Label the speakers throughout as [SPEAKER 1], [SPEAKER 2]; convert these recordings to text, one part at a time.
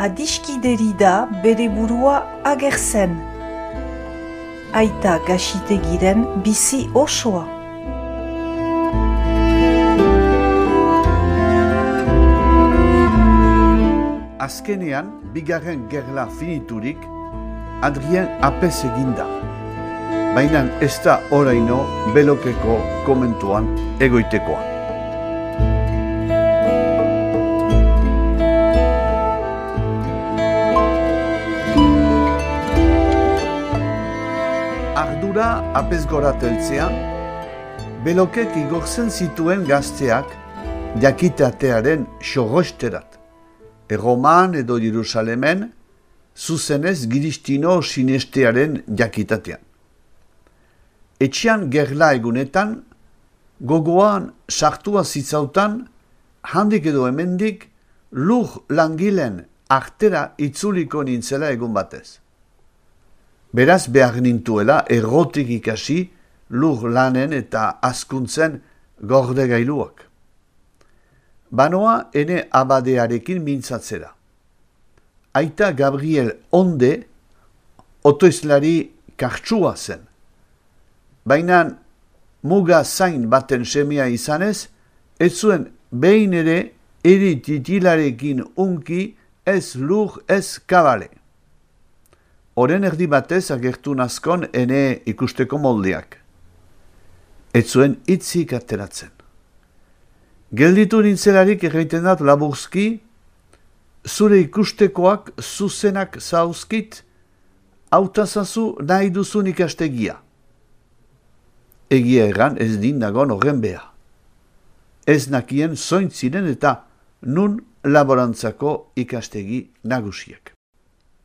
[SPEAKER 1] adiskideri da bere burua agertzen. Aita Gaxitegiren bizi osoa.
[SPEAKER 2] Azkenean, bigarren gerla finiturik, Adrien apez eginda. Baina ez da oraino Belokeko komentuan egoitekoa. Ardura apez gora teltzean, Belokek igortzen zituen gazteak jakitatearen xorrosterat. Erroman edo Jerusalemen, zuzenez Giristino sinestearen jakitatean. Etxean gerla egunetan, gogoan sartua zitzautan, handik edo hemendik, lur langilen artera itzuliko nintzela egun batez. Beraz behar nintuela errotik ikasi lur lanen eta azkuntzen gorde gailuak. Banoa ene abadearekin mintzatzera. Aita Gabriel Onde otoizlari kartsua zen. Baina muga zain baten semea izanez, ez zuen behin ere eri titilarekin unki ez lur ez kabale. Oren erdi batez agertu nazkon ene ikusteko moldeak. Ez zuen hitzik ateratzen. Gelditu nintzelarik egiten dat laburzki, zure ikustekoak zuzenak zauzkit, hautazazu nahi duzun ikastegia. Egia erran ez din nagon horren beha. Ez nakien zointziren eta nun laborantzako ikastegi nagusiek.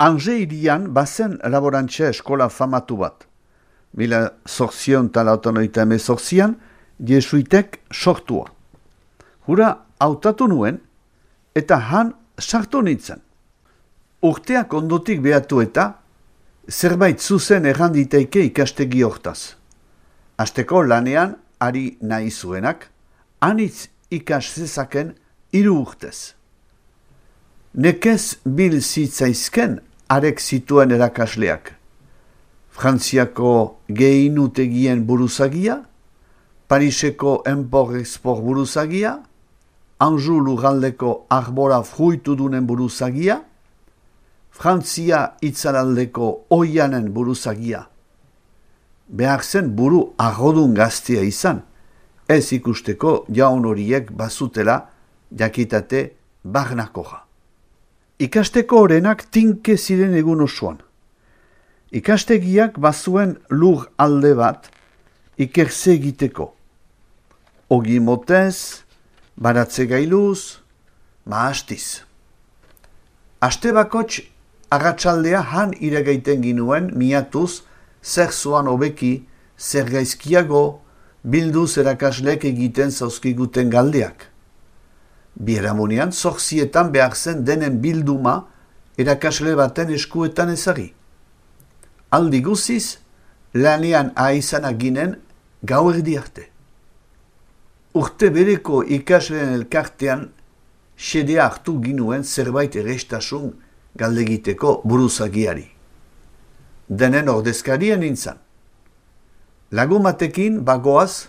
[SPEAKER 2] Ange irian bazen laborantza eskola famatu bat. 1898an jesuitek sortua. Hura hautatu nuen eta han sartu nintzen. Urteak ondotik behatu eta zerbait zuzen erranditeike ikastegi hortaz. Asteko lanean ari nahi zuenak, anitz ikas zezaken 3 urtez. Nekez bil zitzaizken arek zituen erakasleak. Frantziako gehinutegien buruzagia, Pariseko Empor-Export buruzagia, Anjou lurraldeko arbora fruitudunen buruzagia, Frantzia itzalaldeko oianen buruzagia. Behar zen buru arrodun gaztea izan, ez ikusteko jaun horiek bazutela jakitate barnakoja. Ikasteko orenak tinke ziren egun osoan. Ikastegiak bazuen lur alde bat ikerze egiteko. Ogi motez, baratze gailuz, mahastiz. Aste bakots arratsaldea han iregaiten ginuen miatuz zer zoan hobeki, zer gaizkiago, bilduz erakaslek egiten zauzkiguten galdeak. Biharamunean zortzietan behar zen denen bilduma erakasle baten eskuetan ezari. Aldi guziz, lanean aizana ginen gauerdi arte. Urte bereko ikasleen elkartean xedea hartu ginuen zerbait errestasun galdegiteko buruzagiari. Denen ordezkarien nintzen. Lagumatekin bagoaz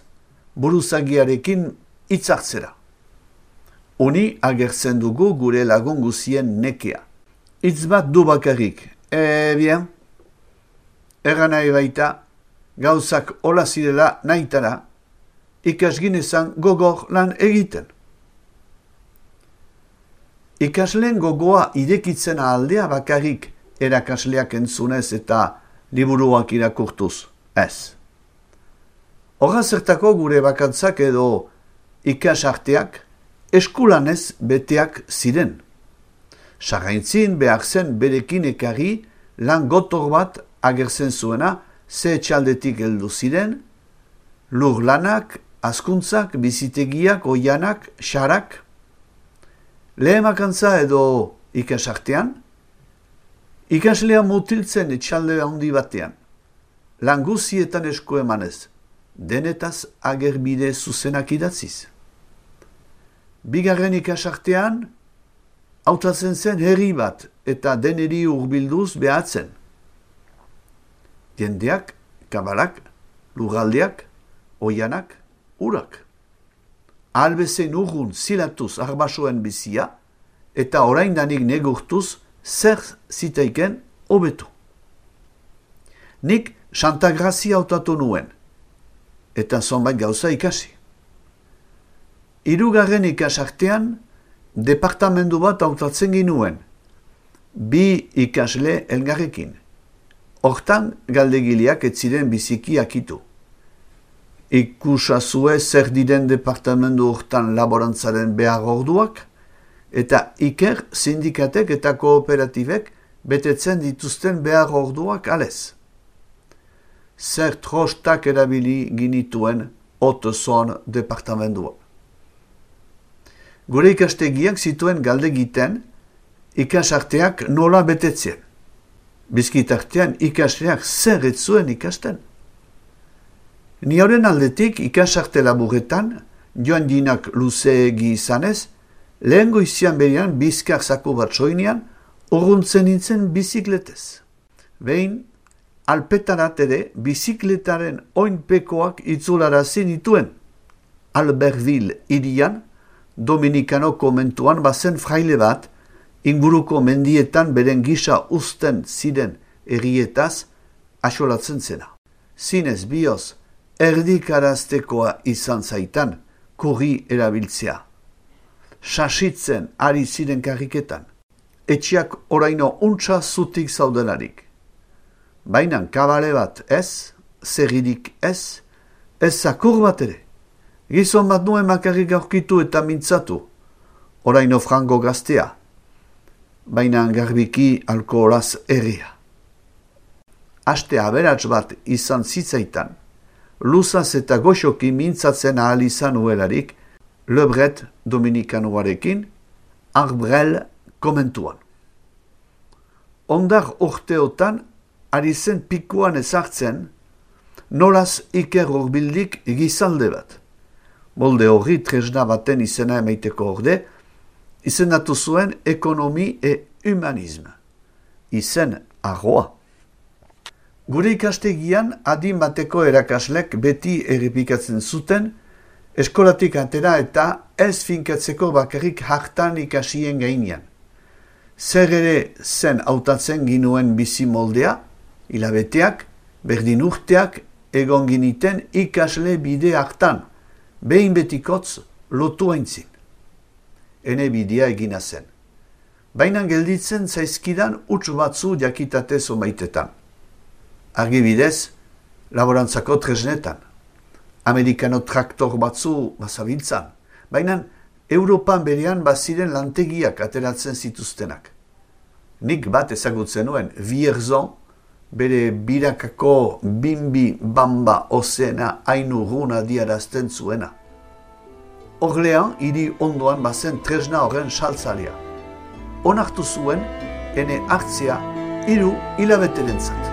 [SPEAKER 2] buruzagiarekin hitzartzera. Uni agertzen dugu gure lagun guzien nekea. Hitz bat du bakarrik. Bien. Erran nahi baita, gauzak hola zirela nahitara, ikasginezan gogor lan egiten. Ikasleen gogoa irekitzen aldea bakarrik erakasleak entzunez eta liburuak irakurtuz, ez. Horra zertako gure bakantzak edo ikasarteak eskulanez beteak ziren. Sarraintzin behar zen berekin ekarri lan gotor bat agertzen zuena ze etxaldetik heldu ziren, lur lanak, azkuntzak, bizitegiak, oianak, xarak. Lehemakantza edo ikasartean, ikaslea mutiltzen etxalde handi batean, lan guzietan esku emanez, denetaz agerbide zuzenak idatziz. Bigarren ikasartean, hautatzen zen herri bat eta deneri hurbilduz behatzen. Jendeak, kabalak, lurraldeak, oianak, urak. Albezein urrun zilatuz arbasoen bizia eta oraindanik negurtuz zer zitaiken hobetu. Nik Santa Grazia hautatu nuen, eta zonbait gauza ikasi. Hirugarren ikasartean, departamendu bat hautatzen ginuen, 2 ikasle elgarrekin. Hortan galdegileak ez ziren biziki akitu. Ikusazue zer diren departamendu hortan laborantzaren behar orduak, eta iker sindikatek eta kooperatibek betetzen dituzten behar orduak alez. Zer trostak erabili ginituen Haute-Saône departamendua. Gure ikastegiak zituen galdegiten ikasarteak nola betetzen. Bizkitartean ikasleak zer ez zuen ikasten. Ni horren aldetik ikasarte laburretan, joan dinak luzeegi izanez, lehen goizian berian bizkar zaku bat soinean, urruntzen nintzen bizikletez. Behin, alpetarat ere bizikletaren oinpekoak itzularazi nituen. Albertville hirian, Dominikano komentuan bazen fraile bat, inguruko mendietan beren gisa uzten ziren errietaz asolatzen zena. Zinez bioz, erdikaraztekoa izan zaitan, kurri erabiltzea. Sasitzen ari ziren karriketan, etxeak oraino untsa zutik zaudelarik. Bainan kabale bat ez, zerridik ez zakur bat ere. Gizon bat nuen makarrik aurkitu eta mintzatu, oraino frango gaztea, baina garbiki alkoholaz erria. Aste aberats bat izan zitzaitan, luzaz eta goxoki mintzatzen ahal izan uelarik, Le Bret Dominikanoarekin, Arbrel komentuan. Ondar urteotan, ari zen pikuan ezartzen, nolaz iker horbildik gizalde bat. Molde horri tresna baten izena emaiteko orde, izendatu zuen ekonomi e humanisme. Izen arroa. Gure ikastegian adin bateko erakaslek beti errepikatzen zuten, eskolatik atera eta ez finkatzeko bakarrik hartan ikasien gainean. Zer ere zen hautatzen ginuen bizi moldea, hilabeteak, berdin urteak, egon giniten ikasle bide hartan, behin betikotz lotu haintzin. Ene bidea egina zen. Baina gelditzen zaizkidan huts batzu jakitatez omaitetan. Argibidez, laborantzako tresnetan. Amerikano traktor batzu bazabiltzan. Baina Europan berean baziren lantegiak ateratzen zituztenak. Nik bat ezagutzen nuen, Vierzon, bere birakako bimbi bamba ozena hainu runa diarazten zuena. Orlean, hiri ondoan bazen tresna horren saltzalia. Onartu zuen, ene hartzea 3 hilabeterentzat.